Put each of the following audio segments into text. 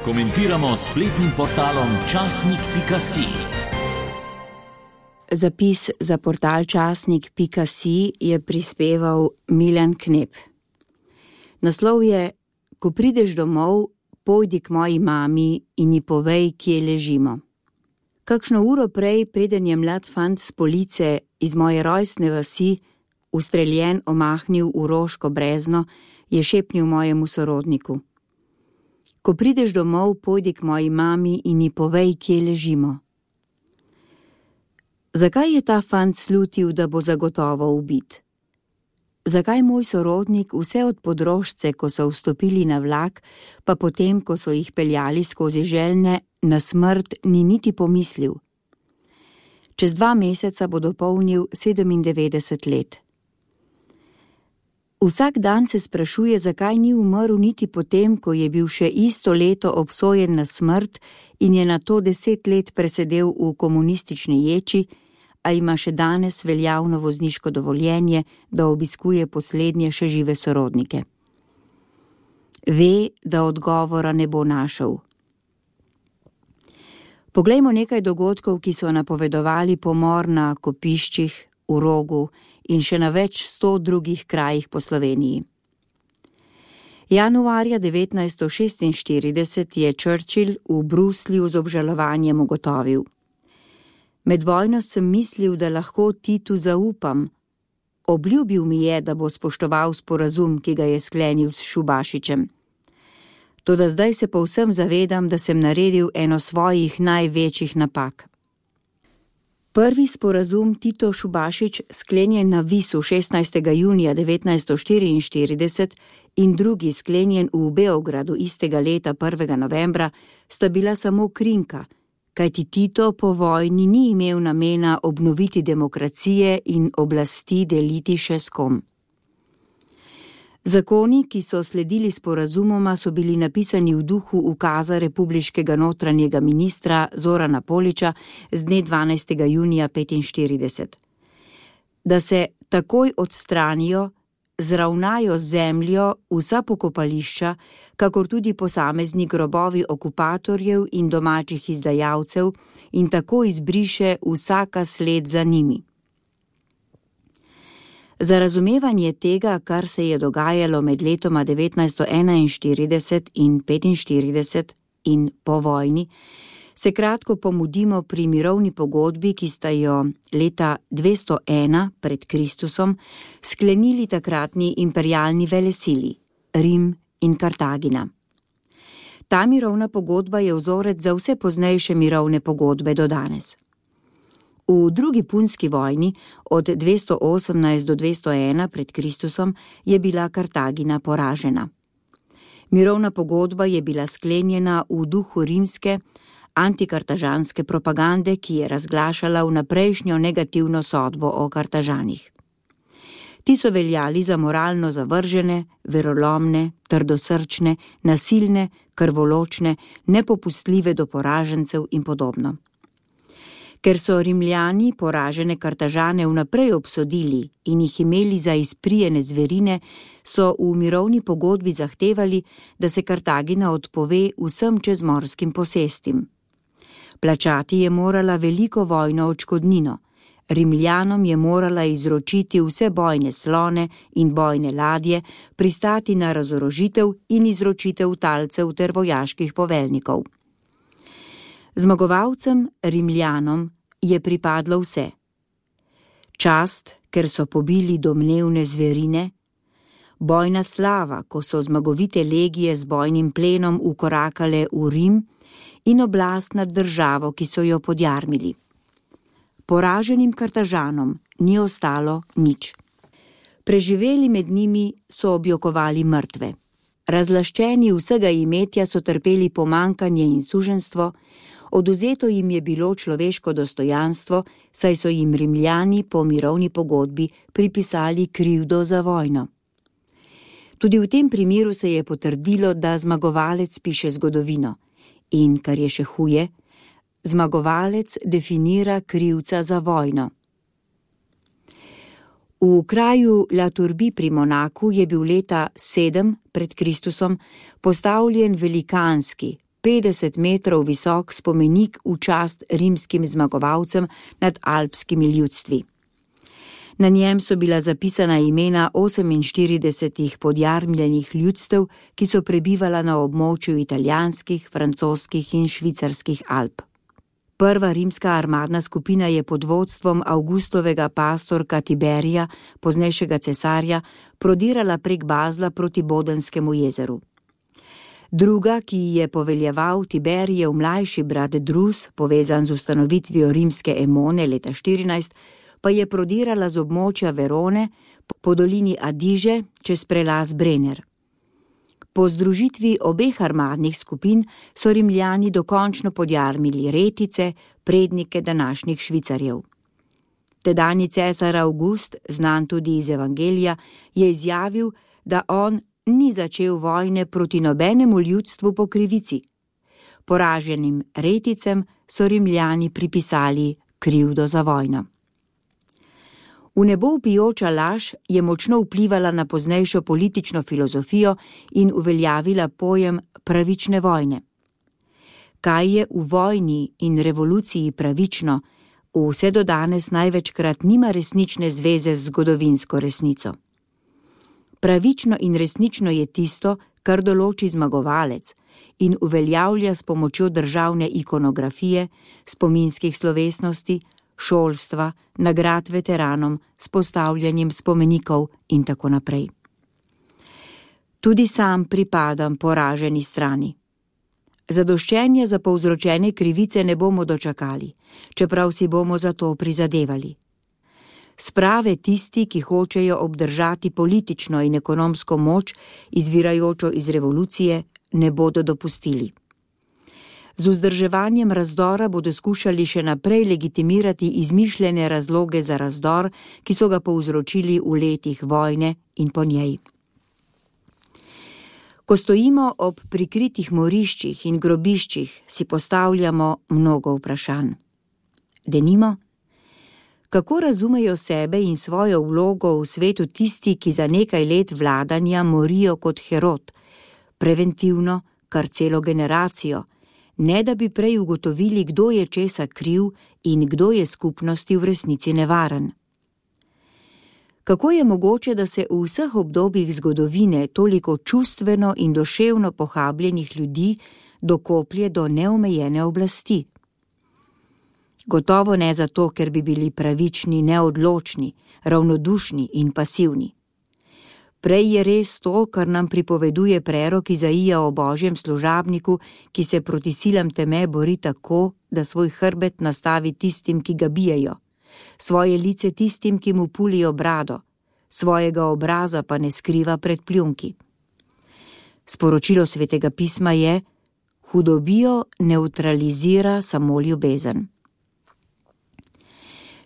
komentiramo s spletnim portalom časnik.si. Zapis za portal časnik.si je prispeval Milan Knep. Naslov je: Ko prideš domov, pojdi k moji mami in ji povej, kje ležimo. Kakšno uro prej, preden je mlad fant s police iz moje rojstne vasi ustreljen omahnil v Roško brezno, je šepnil mojemu sorodniku: Ko prideš domov, pojdi k moji mami in ji povej, kje ležimo. Zakaj je ta fant slutil, da bo zagotovo ubit? Zakaj moj sorodnik vse od podrožce, ko so vstopili na vlak, pa potem, ko so jih peljali skozi željne, na smrt ni niti pomislil? Čez 2 meseca bo dopolnil 97 let. Vsak dan se sprašuje, zakaj ni umrl niti potem, ko je bil še isto leto obsojen na smrt in je nato 10 let presedel v komunistični ječi, a ima še danes veljavno vozniško dovoljenje, da obiskuje poslednje še žive sorodnike. Ve, da odgovora ne bo našel. Poglejmo nekaj dogodkov, ki so napovedovali pomor na Kopiščih, v Rogu in še na več 100 drugih krajih po Sloveniji. Januarja 1946 je Churchill v Bruslju z obžalovanjem ugotovil: Med vojno sem mislil, da lahko Titu zaupam. Obljubil mi je, da bo spoštoval sporazum, ki ga je sklenil s Šubašičem. Toda zdaj se povsem zavedam, da sem naredil eno svojih največjih napak. Prvi sporazum Tito-Šubašič, sklenjen na Visu 16. junija 1944 in drugi sklenjen v Beogradu istega leta 1. novembra, sta bila samo krinka, kajti Tito po vojni ni imel namena obnoviti demokracije in oblasti deliti še s kom. Zakoni, ki so sledili sporazumoma, so bili napisani v duhu ukaza republiškega notranjega ministra Zorana Poliča z dne 12. junija 1945. Da se takoj odstranijo, zravnajo z zemljo vsa pokopališča, kakor tudi posamezni grobovi okupatorjev in domačih izdajalcev, in tako izbriše vsaka sled za njimi. Za razumevanje tega, kar se je dogajalo med letoma 1941 in 1945 in po vojni, se kratko pomudimo pri mirovni pogodbi, ki sta jo leta 201 pred Kristusom sklenili takratni imperialni velesili, Rim in Kartagina. Ta mirovna pogodba je vzorec za vse poznejše mirovne pogodbe do danes. V drugi punski vojni od 218 do 201 pred Kristusom je bila Kartagina poražena. Mirovna pogodba je bila sklenjena v duhu rimske antikartažanske propagande, ki je razglašala vnaprejšnjo negativno sodbo o Kartažanih. Ti so veljali za moralno zavržene, verolomne, trdosrčne, nasilne, krvoločne, nepopustljive do poražencev in podobno. Ker so Rimljani poražene Kartažane vnaprej obsodili in jih imeli za izprijene zverine, so v mirovni pogodbi zahtevali, da se Kartagina odpove vsem čezmorskim posestim. Plačati je morala veliko vojno odškodnino. Rimljanom je morala izročiti vse bojne slone in bojne ladje, pristati na razorožitev in izročitev talcev ter vojaških poveljnikov. Zmagovalcem, Rimljanom, je pripadlo vse. Čast, ker so pobili domnevne zverine, bojna slava, ko so zmagovite legije z bojnim plenom ukorakale v Rim, in oblast nad državo, ki so jo podjarmili. Poraženim Kartažanom ni ostalo nič. Preživeli med njimi so objokovali mrtve. Razlaščeni vsega imetja so trpeli pomankanje in suženjstvo, odvzeto jim je bilo človeško dostojanstvo, saj so jim Rimljani po mirovni pogodbi pripisali krivdo za vojno. Tudi v tem primeru se je potrdilo, da zmagovalec piše zgodovino in, kar je še huje, zmagovalec definira krivca za vojno. V kraju La Turbie pri Monaku je bil leta 7 pred Kristusom postavljen velikanski, 50 metrov visok spomenik v čast rimskim zmagovalcem nad alpskimi ljudstvi. Na njem so bila zapisana imena 48 podjarmljenih ljudstev, ki so prebivala na območju italijanskih, francoskih in švicarskih Alp. Prva rimska armadna skupina je pod vodstvom Augustovega pastorka Tiberija, poznejšega cesarja, prodirala prek Bazla proti Bodenskemu jezeru. Druga, ki ji je poveljeval Tiberijev mlajši brat Drus, povezan z ustanovitvijo rimske Emone leta 14, pa je prodirala z območja Verone po dolini Adiže čez prelaz Brenner. Po združitvi obeh armadnih skupin so Rimljani dokončno podjarmili Retice, prednike današnjih Švicarjev. Tedanji cesar August, znan tudi iz Evangelija, je izjavil, da on ni začel vojne proti nobenemu ljudstvu po krivici. Poraženim Reticem so Rimljani pripisali krivdo za vojno. V nebo vpijoča laž je močno vplivala na poznejšo politično filozofijo in uveljavila pojem pravične vojne. Kaj je v vojni in revoluciji pravično, vse do danes največkrat nima resnične zveze z zgodovinsko resnico. Pravično in resnično je tisto, kar določi zmagovalec in uveljavlja s pomočjo državne ikonografije, spominskih slovesnosti, šolstva, nagrad veteranom, s postavljanjem spomenikov in tako naprej. Tudi sam pripadam poraženi strani. Zadoščenja za povzročene krivice ne bomo dočakali, čeprav si bomo za to prizadevali. Sprave tisti, ki hočejo obdržati politično in ekonomsko moč, izvirajočo iz revolucije, ne bodo dopustili. Z vzdrževanjem razdora bodo skušali še naprej legitimirati izmišljene razloge za razdor, ki so ga povzročili v letih vojne in po njej. Ko stojimo ob prikritih moriščih in grobiščih, si postavljamo mnogo vprašanj. Denimo, kako razumejo sebe in svojo vlogo v svetu tisti, ki za nekaj let vladanja morijo kot Herod, preventivno, kar celo generacijo, ne da bi prej ugotovili, kdo je česa kriv in kdo je skupnosti v resnici nevaren. Kako je mogoče, da se v vseh obdobjih zgodovine toliko čustveno in duševno pohabljenih ljudi dokoplje do neomejene oblasti? Gotovo ne zato, ker bi bili pravični, neodločni, ravnodušni in pasivni. Prej je res to, kar nam pripoveduje prerok Izaija o Božjem služabniku, ki se proti silam teme bori tako, da svoj hrbet nastavi tistim, ki ga bijejo, svoje lice tistim, ki mu pulijo brado, svojega obraza pa ne skriva pred pljunki. Sporočilo Svetega pisma je: hudobijo nevtralizira samo ljubezen.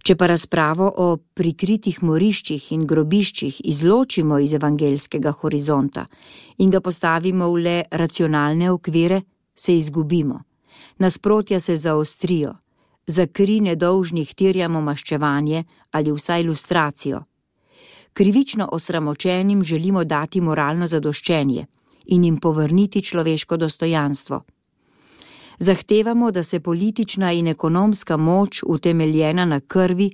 Če pa razpravo o prikritih moriščih in grobiščih izločimo iz evangeljskega horizonta in ga postavimo v le racionalne okvire, se izgubimo. Nasprotja se zaostrijo, za kri nedolžnih terjamo maščevanje ali vsaj lustracijo. Krivično osramočenim želimo dati moralno zadoščenje in jim povrniti človeško dostojanstvo. Zahtevamo, da se politična in ekonomska moč, utemeljena na krvi,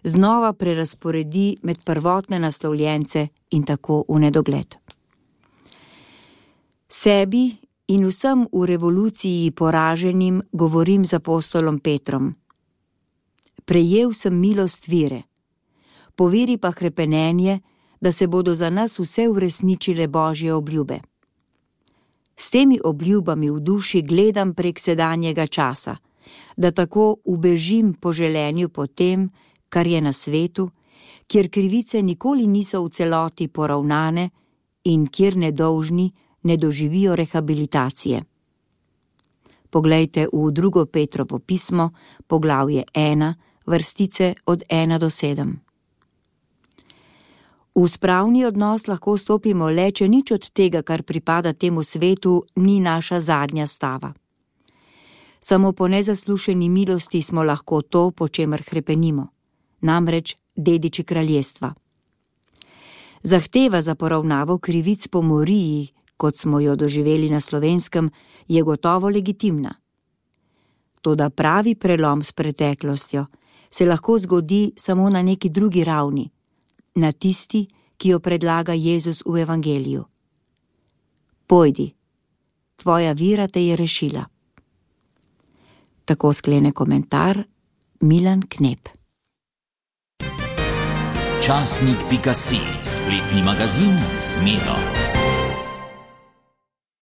znova prerazporedi med prvotne naslovljence in tako v nedogled. Sebi in vsem v revoluciji poraženim govorim z apostolom Petrom. Prejel sem milost vire, po veri pa hrepenenje, da se bodo za nas vse uresničile Božje obljube. S temi obljubami v duši gledam prek sedanjega časa, da tako ubežim po želenju po tem, kar je na svetu, kjer krivice nikoli niso v celoti poravnane in kjer nedolžni ne doživijo rehabilitacije. Poglejte v 2. Petrovo pismo, poglavje 1, vrstice od 1 do 7. V spravni odnos lahko stopimo le, če nič od tega, kar pripada temu svetu, ni naša zadnja stava. Samo po nezaslušeni milosti smo lahko to, po čemer hrepenimo, namreč dediči kraljestva. Zahteva za poravnavo krivic po moriji, kot smo jo doživeli na Slovenskem, je gotovo legitimna. Toda pravi prelom s preteklostjo se lahko zgodi samo na neki drugi ravni, na tisti, ki jo predlaga Jezus v evangeliju. Pojdi, tvoja vera te je rešila. Tako sklene komentar Milan Knep. Časnik.si, spletni magazin z Miro.